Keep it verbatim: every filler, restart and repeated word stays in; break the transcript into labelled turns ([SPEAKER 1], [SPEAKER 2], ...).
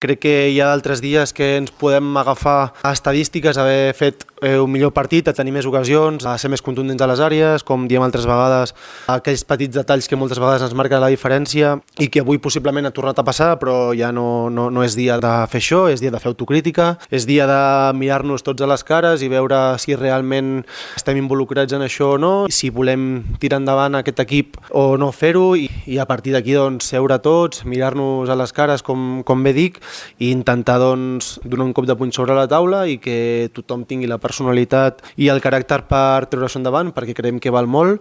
[SPEAKER 1] Crec que hi ha altres dies que ens podem agafar a estadístiques, haver fet eh, un millor partit, a tenir més ocasions, a ser més contundents a les àrees, com diem altres vegades, aquells petits detalls que moltes vegades ens marquen la diferència i que avui possiblement ha tornat a passar, però ja no, no, no és dia de fer això, és dia de fer autocrítica, és dia de mirar-nos tots a les cares i veure si realment estem involucrats en això o no, si volem tirar endavant aquest equip o no fer-ho i, i a partir d'aquí doncs, seure tots, mirar-nos a les cares, com, com bé dic, i intentar doncs, donar un cop de puny sobre la taula i que tothom tingui la personalitat i el caràcter per treure-s'ho endavant, perquè creiem que val molt